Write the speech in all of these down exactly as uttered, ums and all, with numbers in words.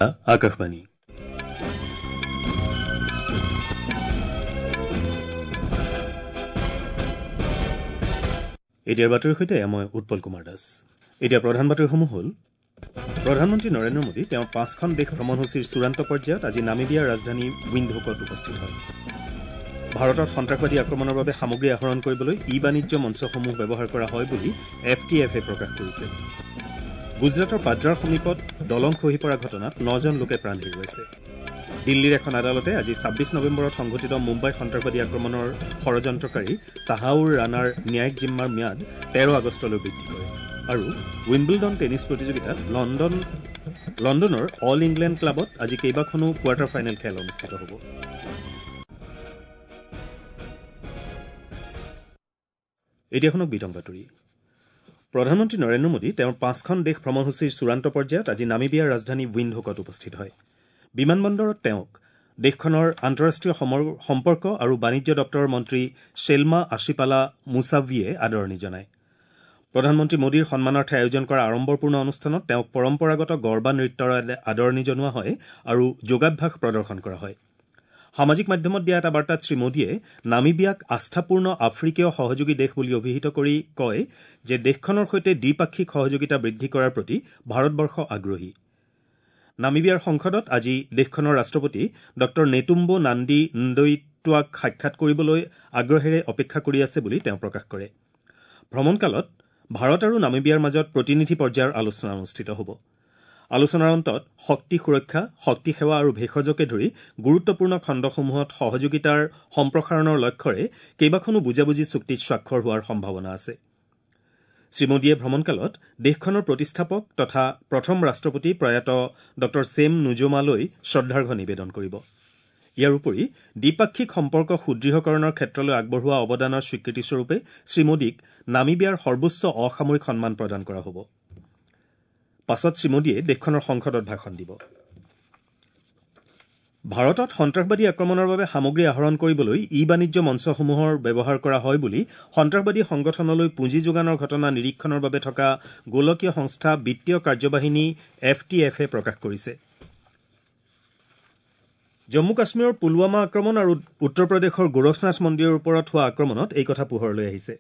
আকাশবাণী। এতিয়াৰ বাতৰিৰ সৈতে মই উৎপল কুমাৰ দাস। এতিয়া প্ৰধান বাতৰিসমূহ হ'ল: প্ৰধানমন্ত্ৰী নৰেন্দ্ৰ মোদী তেওঁৰ পাঁচখন দেশ ভ্ৰমণসূচীৰ চূড়ান্ত পৰ্যায়ত আজি নামিবিয়াৰ ৰাজধানী উইণ্ডহুকত উপস্থিত হয়। ভাৰতত সন্ত্ৰাসবাদী আক্ৰমণৰ বাবে সামগ্ৰী আহৰণ কৰিবলৈ ই বাণিজ্য মঞ্চসমূহ ব্যৱহাৰ কৰা হয় বুলি এফ টি এফে প্ৰকাশ কৰিছে। গুজৰাটৰ পাদ্ৰাৰ সমীপত দলং খহি পৰা ঘটনাত নজন লোকে প্ৰাণ হেৰুৱাইছে। দিল্লীৰ এখন আদালতে আজি ছাব্বিছ নৱেম্বৰত সংঘটিত মুম্বাই সন্ত্ৰাসবাদী আক্ৰমণৰ ষড়যন্ত্ৰকাৰী তাহাউৰ ৰাণাৰ ন্যায়িক জিম্মাৰ ম্যাদ তেৰ আগষ্টলৈ বৃদ্ধি কৰে। আৰু উইম্বলডন টেনিছ প্ৰতিযোগিতাত লণ্ডন লণ্ডনৰ অল ইংলেণ্ড ক্লাবত আজি কেইবাখনো কোৱাৰ্টাৰ ফাইনেল খেল অনুষ্ঠিত হ'ব। এতিয়া শুনক বিতং বাতৰি। প্ৰধানমন্ত্ৰী নৰেন্দ্ৰ মোদী তেওঁৰ পাঁচখন দেশ ভ্ৰমণসূচীৰ চূড়ান্ত পৰ্যায়ত আজি নামিবিয়াৰ ৰাজধানী উইণ্ডহুকত উপস্থিত হয়। বিমানবন্দৰত তেওঁক দেশখনৰ আন্তঃৰাষ্ট্ৰীয় সম্পৰ্ক আৰু বাণিজ্য দপ্তৰৰ মন্ত্ৰী শ্বেলমা আশিপালা মুছাভিয়ে আদৰণি জনায়। প্ৰধানমন্ত্ৰী মোদীৰ সন্মানাৰ্থে আয়োজন কৰা আড়ম্বৰপূৰ্ণ অনুষ্ঠানত তেওঁক পৰম্পৰাগত গৰ্বা নৃত্যৰ আদৰণি জনোৱা হয় আৰু যোগাভ্যাস প্ৰদৰ্শন কৰা হয়। সামাজিক মাধ্যমত দিয়া এটা বাৰ্তাত শ্ৰীমোদীয়ে নামিবিয়াক আস্থাপূৰ্ণ আফ্ৰিকীয় সহযোগী দেশ বুলি অভিহিত কৰি কয় যে দেশখনৰ সৈতে দ্বিপাক্ষিক সহযোগিতা বৃদ্ধি কৰাৰ প্ৰতি ভাৰতবৰ্ষ আগ্ৰহী। নামিবিয়াৰ সংসদত আজি দেশখনৰ ৰাষ্ট্ৰপতি ডঃ নেটুম্বো নান্দি ন্দৈটোৱাক সাক্ষাৎ কৰিবলৈ আগ্ৰহেৰে অপেক্ষা কৰি আছে বুলি তেওঁ প্ৰকাশ কৰে। ভ্ৰমণকালত ভাৰত আৰু নামিবিয়াৰ মাজত প্ৰতিনিধি পৰ্যায়ৰ আলোচনা অনুষ্ঠিত হ'ব। আলোচনাৰ অন্তত শক্তি সুৰক্ষা, শক্তি সেৱা আৰু ভেষজকে ধৰি গুৰুত্বপূৰ্ণ খণ্ডসমূহত সহযোগিতাৰ সম্প্ৰসাৰণৰ লক্ষ্যৰে কেইবাখনো বুজাবুজি চুক্তিত স্বাক্ষৰ হোৱাৰ সম্ভাৱনা আছে। শ্ৰীমোদীয়ে ভ্ৰমণকালত দেশখনৰ প্ৰতিষ্ঠাপক তথা প্ৰথম ৰাষ্ট্ৰপতি প্ৰয়াত ডঃ ছেম নুজোমালৈ শ্ৰদ্ধাৰ্ঘ্য নিবেদন কৰিব। ইয়াৰ উপৰি দ্বিপাক্ষিক সম্পৰ্ক সুদৃঢ়কৰণৰ ক্ষেত্ৰলৈ আগবঢ়োৱা অৱদানৰ স্বীকৃতিস্বৰূপে শ্ৰীমোদীক নামিবিয়াৰ সৰ্বোচ্চ অসামৰিক সন্মান প্ৰদান কৰা হ'ব। পাছত শ্ৰীমোদীয়ে দেশখনৰ সংসদত ভাষণ দিব। ভাৰতত সন্ত্ৰাসবাদী আক্ৰমণৰ বাবে সামগ্ৰী আহৰণ কৰিবলৈ ই বাণিজ্য মঞ্চসমূহৰ ব্যৱহাৰ কৰা হয় বুলি সন্ত্ৰাসবাদী সংগঠনলৈ পুঁজি যোগানৰ ঘটনা নিৰীক্ষণৰ বাবে থকা গোলকীয় সংস্থা বিত্তীয় কাৰ্যবাহিনী এফ টি এফে প্ৰকাশ কৰিছে। জম্মু কাশ্মীৰৰ পুলৱামা আক্ৰমণ আৰু উত্তৰ প্ৰদেশৰ গোৰখনাথ মন্দিৰৰ ওপৰত হোৱা আক্ৰমণত এই কথা পোহৰলৈ আহিছে।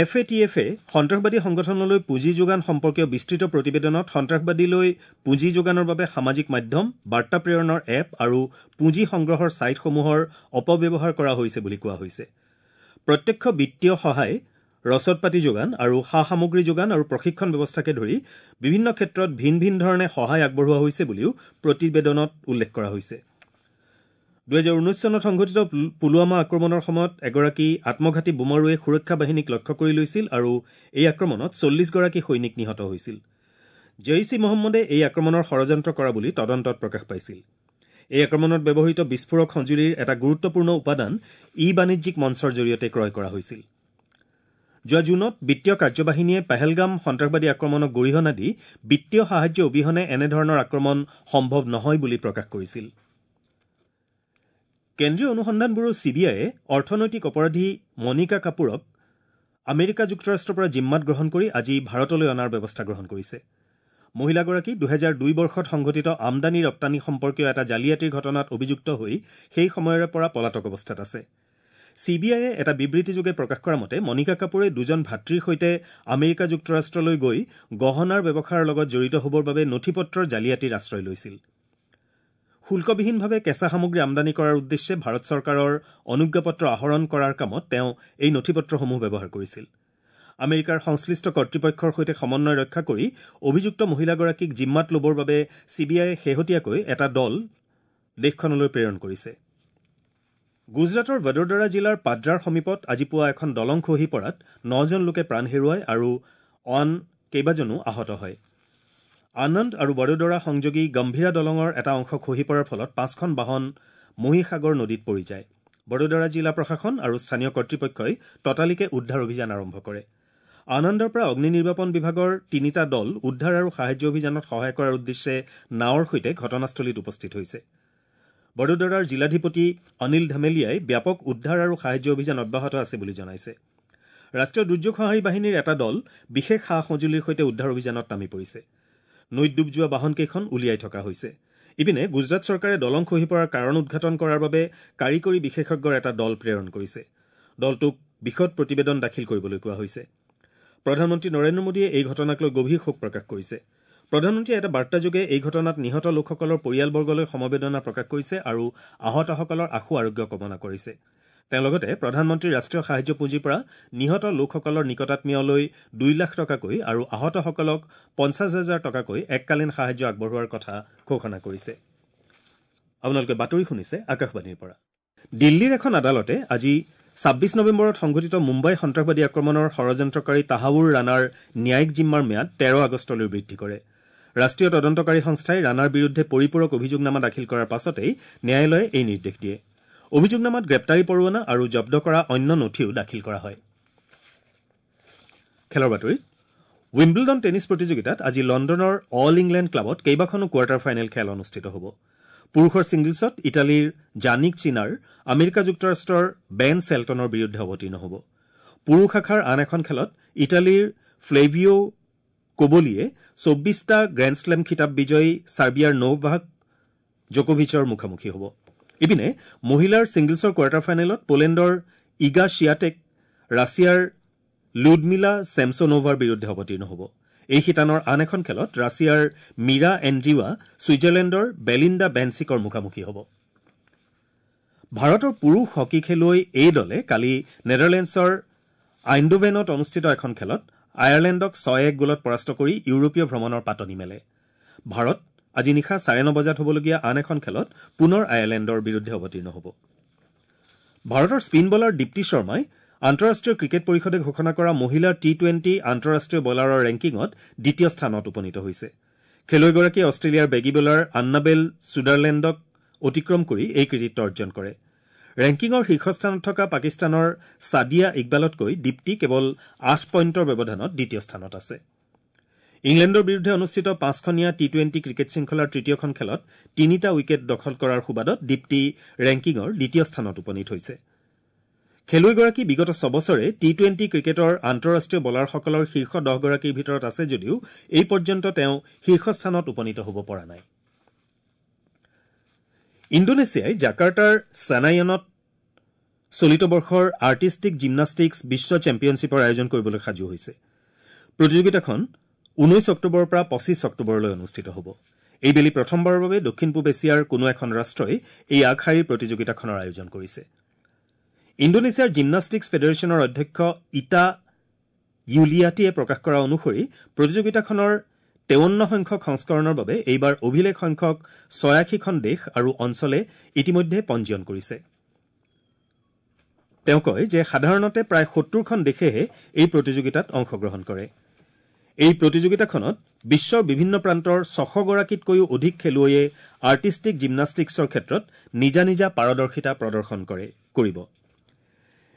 এফ এ টি এফে সন্ত্ৰাসবাদী সংগঠনলৈ পুঁজি যোগান সম্পৰ্কীয় বিস্তৃত প্ৰতিবেদনত সন্ত্ৰাসবাদীলৈ পুঁজি যোগানৰ বাবে সামাজিক মাধ্যম, বাৰ্তা প্ৰেৰণৰ এপ আৰু পুঁজি সংগ্ৰহৰ ছাইটসমূহৰ অপব্যৱহাৰ কৰা হৈছে বুলি কোৱা হৈছে। প্ৰত্যক্ষ বিত্তীয় সহায়, ৰচদ পাতি যোগান আৰু সা সামগ্ৰী যোগান আৰু প্ৰশিক্ষণ ব্যৱস্থাকে ধৰি বিভিন্ন ক্ষেত্ৰত ভিন ভিন ধৰণে সহায় আগবঢ়োৱা হৈছে বুলিও প্ৰতিবেদনত উল্লেখ কৰা হৈছে। দুহেজাৰ ঊনৈছ চনত সংঘটিত পুলৱামা আক্ৰমণৰ সময়ত এগৰাকী আত্মঘাতী বোমাৰুৱে সুৰক্ষা বাহিনীক লক্ষ্য কৰি লৈছিল আৰু এই আক্ৰমণত চল্লিছগৰাকী সৈনিক নিহত হৈছিল। জৈইছ ই মহম্মদে এই আক্ৰমণৰ ষড়যন্ত্ৰ কৰা বুলি তদন্তত প্ৰকাশ পাইছিল। এই আক্ৰমণত ব্যৱহৃত বিস্ফোৰক সঁজুলিৰ এটা গুৰুত্বপূৰ্ণ উপাদান ই বাণিজ্যিক মঞ্চৰ জৰিয়তে ক্ৰয় কৰা হৈছিল। যোৱা জুনত বিত্তীয় কাৰ্যবাহিনীয়ে পেহেলগাম সন্ত্ৰাসবাদী আক্ৰমণক গৰিহণা দি বিত্তীয় সাহায্য অবিহনে এনেধৰণৰ আক্ৰমণ সম্ভৱ নহয় বুলি প্ৰকাশ কৰিছিল। কেন্দ্ৰীয় অনুসন্ধান ব্যুৰো চি বি আইয়ে অৰ্থনৈতিক অপৰাধী মনিকা কাপুৰক আমেৰিকা যুক্তৰাষ্ট্ৰৰ পৰা জিম্মাত গ্ৰহণ কৰি আজি ভাৰতলৈ অনাৰ ব্যৱস্থা গ্ৰহণ কৰিছে। মহিলাগৰাকী দুহেজাৰ দুই বৰ্ষত সংঘটিত আমদানি ৰপ্তানি সম্পৰ্কীয় এটা জালিয়াতিৰ ঘটনাত অভিযুক্ত হৈ সেই সময়ৰে পৰা পলাতক অৱস্থাত আছে। চি বি আইয়ে এটা বিবৃতিযোগে প্ৰকাশ কৰা মতে মনিকা কাপুৰে দুজন ভাতৃৰ সৈতে আমেৰিকা যুক্তৰাষ্ট্ৰলৈ গৈ গহনাৰ ব্যৱসায়ৰ লগত জড়িত হ'বৰ বাবে নথি পত্ৰৰ জালিয়াতিৰ আশ্ৰয় লৈছিল। শুল্কবিহীনভাৱে কেঁচা সামগ্ৰী আমদানি কৰাৰ উদ্দেশ্যে ভাৰত চৰকাৰৰ অনুজ্ঞাপত্ৰ আহৰণ কৰাৰ কামত তেওঁ এই নথিপত্ৰসমূহ ব্যৱহাৰ কৰিছিল। আমেৰিকাৰ সংশ্লিষ্ট কৰ্তৃপক্ষৰ সৈতে সমন্বয় ৰক্ষা কৰি অভিযুক্ত মহিলাগৰাকীক জিম্মাত ল'বৰ বাবে চি বি আইয়ে শেহতীয়াকৈ এটা দল দেশখনলৈ প্ৰেৰণ কৰিছে। গুজৰাটৰ বদোদৰা জিলাৰ পাদ্ৰাৰ সমীপত আজি পুৱা এখন দলং খহি পৰাত নজন লোকে প্ৰাণ হেৰুৱায় আৰু আন কেইবাজনো আহত হয়। আনন্দ আৰু বদোদৰা সংযোগী গম্ভীৰা দলঙৰ এটা অংশ খহি পৰাৰ ফলত পাঁচখন বাহন মহিসাগৰ নদীত পৰি যায়। বদোদৰা জিলা প্ৰশাসন আৰু স্থানীয় কৰ্তৃপক্ষই ততালিকে উদ্ধাৰ অভিযান আৰম্ভ কৰে। আনন্দৰ পৰা অগ্নি নিৰ্বাপন বিভাগৰ তিনিটা দল উদ্ধাৰ আৰু সাহায্য অভিযানত সহায় কৰাৰ উদ্দেশ্যে নাৱৰ সৈতে ঘটনাস্থলীত উপস্থিত হৈছে। বদোদৰাৰ জিলাধিপতি অনিল ধামেলিয়াই ব্যাপক উদ্ধাৰ আৰু সাহায্য অভিযান অব্যাহত আছে বুলি জনাইছে। ৰাষ্ট্ৰীয় দুৰ্যোগ সঁহাৰি বাহিনীৰ এটা দল বিশেষ সা সঁজুলিৰ সৈতে উদ্ধাৰ অভিযানত নামি পৰিছে। নৈত ডুব যোৱা বাহনকেইখন উলিয়াই থকা হৈছে। ইপিনে গুজৰাট চৰকাৰে দলং খহি পৰাৰ কাৰণ উদঘাটন কৰাৰ বাবে কাৰিকৰী বিশেষজ্ঞৰ এটা দল প্ৰেৰণ কৰিছে। দলটোক বিশদ প্ৰতিবেদন দাখিল কৰিবলৈ কোৱা হৈছে। প্ৰধানমন্ত্ৰী নৰেন্দ্ৰ মোদীয়ে এই ঘটনাক লৈ গভীৰ শোক প্ৰকাশ কৰিছে। প্ৰধানমন্ত্ৰীয়ে এটা বাৰ্তাযোগে এই ঘটনাত নিহত লোকসকলৰ পৰিয়ালবৰ্গলৈ সমবেদনা প্ৰকাশ কৰিছে আৰু আহতসকলৰ আশু আৰোগ্য কামনা কৰিছে। তেওঁ লগতে প্ৰধানমন্ত্ৰীৰ ৰাষ্ট্ৰীয় সাহায্য পুঁজিৰ পৰা নিহত লোকসকলৰ নিকটাত্মীয়লৈ দুই লাখ টকাকৈ আৰু আহতসকলক পঞ্চাছ হাজাৰ টকাকৈ এককালীন সাহায্য আগবঢ়োৱাৰ কথা ঘোষণা কৰিছে। আপোনালোকে বাতৰি শুনিছে আকাশবাণীৰ পৰা। দিল্লীৰ এখন আদালতে আজি ছাব্বিছ নৱেম্বৰত সংঘটিত মুম্বাই সন্ত্ৰাসবাদী আক্ৰমণৰ ষড়যন্ত্ৰকাৰী তাহাউৰ ৰাণাৰ ন্যায়িক জিম্মাৰ ম্যাদ তেৰ আগষ্টলৈ বৃদ্ধি কৰে। ৰাষ্ট্ৰীয় তদন্তকাৰী সংস্থাই ৰাণাৰ বিৰুদ্ধে পৰিপূৰক অভিযোগনামা দাখিল কৰাৰ পাছতেই ন্যায়ালয়ে এই নিৰ্দেশ দিয়ে। অভিযোগনামাত গ্ৰেপ্তাৰী পৰোৱানা আৰু জব্দ কৰা অন্য নথিও দাখিল কৰা হয়। খেলৰ বাতৰিত উইম্বলডন টেনিছ প্ৰতিযোগিতাত আজি লণ্ডনৰ অল ইংলেণ্ড ক্লাবত কেইবাখনো কোৱাৰ্টাৰ ফাইনেল খেল অনুষ্ঠিত হ'ব। পুৰুষৰ ছিংগলছত ইটালীৰ জানিক চিনাৰ আমেৰিকা যুক্তৰাষ্ট্ৰৰ বেন চেল্টনৰ বিৰুদ্ধে অৱতীৰ্ণ হ'ব। পুৰুষ শাখাৰ আন এখন খেলত ইটালীৰ ফ্লেভিঅ' কোবলিয়ে চৌব্বিছটা গ্ৰেণ্ডশ্লেম খিতাপ বিজয়ী ছাৰ্বিয়াৰ নোভাক জকোভিচৰ মুখামুখি হ'ব। ইপিনে মহিলাৰ ছিংগলছৰ কোৱাৰ্টাৰ ফাইনেলত পোলেণ্ডৰ ইগা চিয়াটেক ৰাছিয়াৰ লুডমিলা চেমছনোভাৰ বিৰুদ্ধে অৱতীৰ্ণ হ'ব। এই শিতানৰ আন এখন খেলত ৰাছিয়াৰ মীৰা এণ্ড্ৰিৱা ছুইজাৰলেণ্ডৰ বেলিণ্ডা বেনচিকৰ মুখামুখি হ'ব। ভাৰতৰ পুৰুষ হকী খেলুৱৈ এই দলে কালি নেডাৰলেণ্ডছৰ আইণ্ডোভেনত অনুষ্ঠিত এখন খেলত আয়াৰলেণ্ডক ছয় এক গ'লত পৰাস্ত কৰি ইউৰোপীয় ভ্ৰমণৰ পাতনি মেলে। ভাৰত আজি নিশা চাৰে ন বজাত হ'বলগীয়া আন এখন খেলত পুনৰ আয়াৰলেণ্ডৰ বিৰুদ্ধে অৱতীৰ্ণ হ'ব। ভাৰতৰ স্পীন বলাৰ দীপ্তি শৰ্মাই আন্তঃৰাষ্ট্ৰীয় ক্ৰিকেট পৰিষদে ঘোষণা কৰা মহিলাৰ টি টুৱেণ্টি আন্তঃৰাষ্ট্ৰীয় বলাৰৰ ৰেংকিঙত দ্বিতীয় স্থানত উপনীত হৈছে। খেলুৱৈগৰাকীয়ে অষ্ট্ৰেলিয়াৰ বেগী বলাৰ আন্নাবেল ছুডাৰলেণ্ডক অতিক্ৰম কৰি এই কৃতিত্ব অৰ্জন কৰে। ৰেংকিঙৰ শীৰ্ষস্থানত থকা পাকিস্তানৰ ছাদিয়া ইকবালতকৈ দীপ্তি কেৱল আঠ পইণ্টৰ ব্যৱধানত দ্বিতীয় স্থানত আছে। ইংলেণ্ডৰ বিৰুদ্ধে অনুষ্ঠিত পাঁচখনীয়া টি টুৱেণ্টি ক্ৰিকেট শৃংখলাৰ তৃতীয়খন খেলত তিনিটা উইকেট দখল কৰাৰ সুবাদত দীপ্তি ৰেংকিঙৰ দ্বিতীয় স্থানত উপনীত হৈছে। খেলুৱৈগৰাকী বিগত ছবছৰে টি টুৱেণ্টি ক্ৰিকেটৰ আন্তঃৰাষ্ট্ৰীয় বলাৰসকলৰ শীৰ্ষ দহগৰাকীৰ ভিতৰত আছে যদিও এই পৰ্যন্ত তেওঁ শীৰ্ষস্থানত উপনীত হ'ব পৰা নাই। ইণ্ডোনেছিয়াই জাকাৰ্টাৰ চেনাইয়নত চলিত বৰ্ষৰ আৰ্টিষ্টিক জিমনাষ্টিক্স বিশ্ব চেম্পিয়নশ্বিপৰ আয়োজন কৰিবলৈ সাজু হৈছে। প্ৰতিযোগিতাখন ঊনৈশ অক্টোবৰৰ পৰা পঁচিছ অক্টোবৰলৈ অনুষ্ঠিত হ'ব। এইবেলি প্ৰথমবাৰৰ বাবে দক্ষিণ পূব এছিয়াৰ কোনো এখন ৰাষ্ট্ৰই এই আগশাৰীৰ প্ৰতিযোগিতাখনৰ আয়োজন কৰিছে। ইণ্ডোনেছিয়াৰ জিমনাষ্টিক্স ফেডাৰেশ্যনৰ অধ্যক্ষ ইটা ইউলিয়াটিয়ে প্ৰকাশ কৰা অনুসৰি প্ৰতিযোগিতাখনৰ তেৱন্ন সংখ্যক সংস্কৰণৰ বাবে এইবাৰ অভিলেখ সংখ্যক ছয়াশীখন দেশ আৰু অঞ্চলে ইতিমধ্যে পঞ্জীয়ন কৰিছে। তেওঁ কয় যে সাধাৰণতে প্ৰায় সত্তৰখন দেশেহে এই প্ৰতিযোগিতাত অংশগ্ৰহণ কৰে। এই প্ৰতিযোগিতাখনত বিশ্বৰ বিভিন্ন প্ৰান্তৰ ছশগৰাকীতকৈও অধিক খেলুৱৈয়ে আৰ্টিষ্টিক জিমনাষ্টিক্সৰ ক্ষেত্ৰত নিজা নিজা পাৰদৰ্শিতা প্ৰদৰ্শন কৰে কৰিব।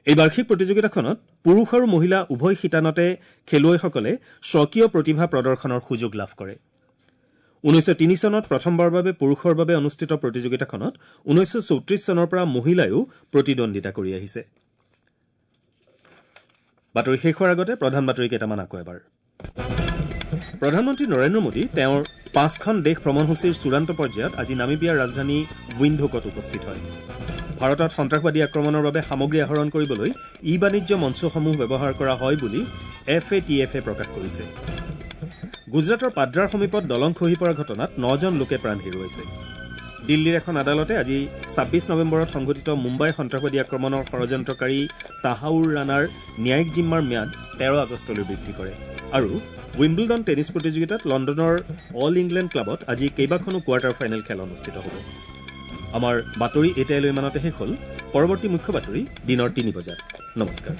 এই বাৰ্ষিক প্ৰতিযোগিতাখনত পুৰুষ আৰু মহিলা উভয় শিতানতে খেলুৱৈসকলে স্বকীয় প্ৰতিভা প্ৰদৰ্শনৰ সুযোগ লাভ কৰে। ঊনৈছশ তিনি চনত প্ৰথমবাৰৰ বাবে পুৰুষৰ বাবে অনুষ্ঠিত প্ৰতিযোগিতাখনত ঊনৈছশ চৌত্ৰিশ চনৰ পৰা মহিলায়ো প্ৰতিদ্বন্দ্বিতা কৰি আহিছে। বাতৰি শেষ হোৱাৰ আগতে প্ৰধান বাতৰি কেইটামান আকৌ এবাৰ। প্ৰধানমন্ত্ৰী নৰেন্দ্ৰ মোদী তেওঁৰ পাঁচখন দেশ ভ্ৰমণসূচীৰ চূড়ান্ত পৰ্যায়ত আজি নামিবিয়াৰ ৰাজধানী উইণ্ডহোকত উপস্থিত হয়। ভাৰতত সন্ত্ৰাসবাদী আক্ৰমণৰ বাবে সামগ্ৰী আহৰণ কৰিবলৈ ই বাণিজ্য মঞ্চসমূহ ব্যৱহাৰ কৰা হয় বুলি এফ এ টি এফে প্ৰকাশ কৰিছে। গুজৰাটৰ পাদ্ৰাৰ সমীপত দলং খহি পৰা ঘটনাত নজন লোকে প্ৰাণ হেৰুৱাইছে। দিল্লীৰ এখন আদালতে আজি ছাব্বিছ নৱেম্বৰত সংঘটিত মুম্বাই সন্ত্ৰাসবাদী আক্ৰমণৰ ষড়যন্ত্ৰকাৰী তাহাউৰ ৰাণাৰ ন্যায়িক জিম্মাৰ ম্যাদ তেৰ আগষ্টলৈ বৃদ্ধি কৰে। আৰু উইম্বলডন টেনিছ প্ৰতিযোগিতাত লণ্ডনৰ অল ইংলেণ্ড ক্লাবত আজি কেইবাখনো কোৱাৰ্টাৰ ফাইনেল খেল অনুষ্ঠিত হ'ব। আমাৰ বাতৰি এতিয়ালৈ ইমানতে শেষ হ'ল। পৰৱৰ্তী মুখ্য বাতৰি দিনৰ তিনি বজাত। নমস্কাৰ।